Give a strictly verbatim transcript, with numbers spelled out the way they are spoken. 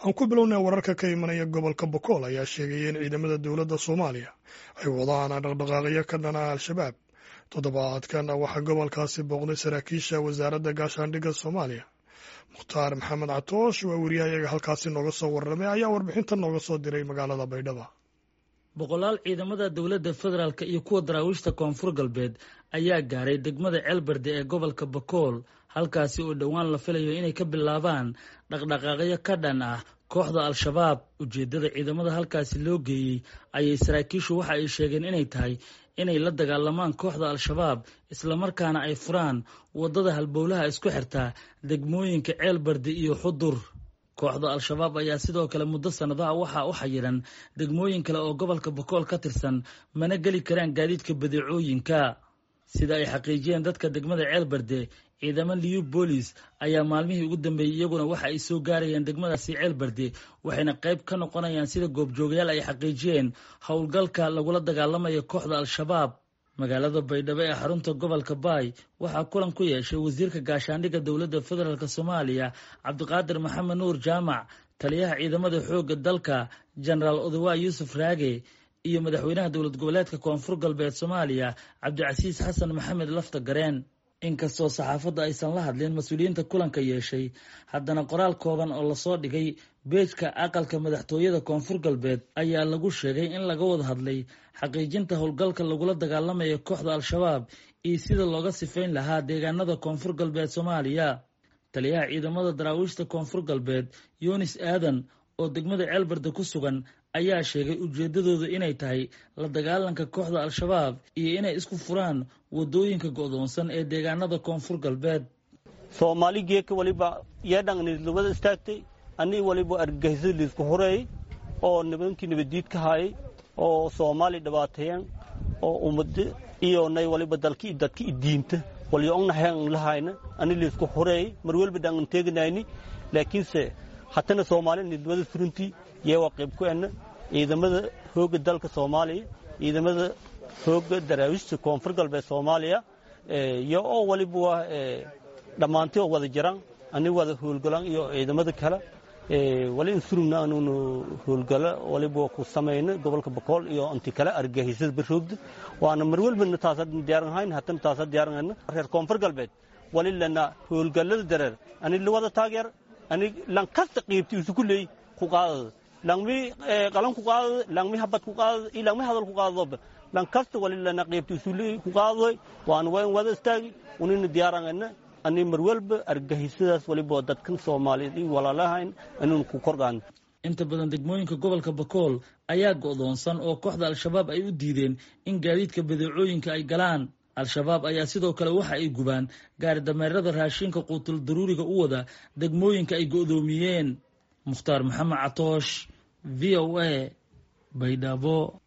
Aan ku bilownay, wararka ka imanaya gobolka Bokool ayaa sheegaya in ciidamada dowladda Soomaaliya ay wadaan dhaqdhaqaaqyo ka dhana Al-Shabaab. Toddobaadkan waxaa gobolkaasi booqday saraakiisha Wasaaradda Gaashaandhigga Soomaaliya. Mukhtaar Maxamed Catoosh waa wariyahayaga halkaasi nooga soo warramay, ayaa warbixintan nooga soo diray magaalada Baydhaba. Boqolaal ciidamada dowladda federaalka iyo kuwa Daraawiishta Koonfur Galbeed ayaa gaaray degmada Ceelberde ee gobolka Bakool, halkaasi oo dhowaan la filayo inay ka bilaabaan dhaqdhaqaaqyo ka dhan ah kooxda Al-Shabaab. Ujeeddada ciidamada halkaasi loo geeyey ayay saraakiishu waxa ay sheegeen inay tahay inay la dagaalamaan kooxda Al-Shabaab, islamarkaana ay furaan waddada halbowlaha isku xirtaa degmooyinka Ceelberde iyo Xudur. Kooxda Al-Shabaab ayaa sidoo kale muddo sannadaha waxaa u xayiran degmooyin kale oo gobolka Bakool ka tirsan, mana geli karaan gaadiidka badeecooyinka. Sida ay xaqiijiyeen dadka degmada Ceelberde, ciidamo Liyu Boolis ayaa maalmihii ugu dambeeyey iyaguna waxa ay soo gaarayeen degmadaasi Ceelberde, waxayna qayb ka noqonayaan, sida goobjoogayaal ay xaqiijiyeen, howlgalka lagula dagaalamayo kooxda Al-Shabaab. Magaalada Baydhabo ee xarunta gobolka Baay waxaa kulan ku yeeshay wasiirka gaashaandhigga dowladda federaalk Soomaaliya Cabdiqaadir Maxamed Nuur Jaamac, taliyaha ciidamada xoogga dalka Jenaraal Odawa Yuusuf Raage iyo madaxweynaha dowlad goboleedka Koonfur Galbeed Soomaaliya Cabdicasiis Xasan Maxamed Lafta Gareen. Inkastoo saxaafadda aysan la hadlin mas-uuliyiinta kulanka yeeshay, haddana qoraal kooban oo lasoo dhigay beejka aqalka madaxtooyada Koonfur Galbeed ayaa lagu sheegay in laga wada hadlay xaqiijinta howlgalka lagula dagaalamayo kooxda Al-Shabaab iyo sida looga sifayn lahaa deegaanada Koonfur Galbeed Soomaaliya. Taliyaha ciidamada Daraawiishta Koonfur Galbeed Yunis Aadan oo degmada Ceelberde ku sugan ayaa sheegay ujeeddadooda inay tahay la dagaalanka kooxda Al-Shabaab iyo inay isku furaan waddooyinka go'doonsan ee deegaanada Koonfur Galbeed. Soomaali geeka waliba yeedhangnidlubada istaagtay ani waliba argagixisada liisku horeeyey oo nimankii nabaddiid ka haayay oo Soomaali dhibaateeyeen oo ummada iyo nay waliba dalki dadka i diinta walyo ognahayn lahayna ani liisku horeeyey mar walba dhangan teeganayni, laakiinse hatana Soomaali nidlubada furintii yee waa qayb ku enna ciidamada xoogga dalka Soomaaliya, ciidamada xoogga Daraawiishta Koonfur Galbeed Soomaaliya iyo oo waliba waa dhammaantii oo wada jiraan ani wada howlgalaan iyo ciidamada kale wali in surugna anuunu howlgalo waliba ku samayno gobolka Bakool iyo inti kale argagixisada baroogda, waana mar walbana taasa diyaaran hatana taasa diyaaran. Reer Koonfur Galbeed wali lana howlgallada dareer ani la wada taageer, ani lan kasta qiibti isu ku leey ku qaadada, langmi qalan ku qaadada, langmi habad ku qaadada iyo langmi hadal ku qaadadoba, lan kasta wali lana qiibti isu leey ku qaadadoy, waana waan wada istaagi unina diyaaranayna ani mar walba argagixisadaas waliba dadkan Soomaaliyeed iyo walaalahayn inuun ku kordhaan. Inta badan degmooyinka gobolka Bakool ayaa go'doonsan oo kooxda Al-Shabaab ay u diideen in gaadiidka badeecooyinka ay galaan. Al-Shabaab ayaa sidoo kale waxa ay gubaan gaari dameerada raashinka quutul daruuriga u wada degmooyinka ay go'doomiyeen. Mukhtaar Maxamed Catoosh, V O A, Baydhabo.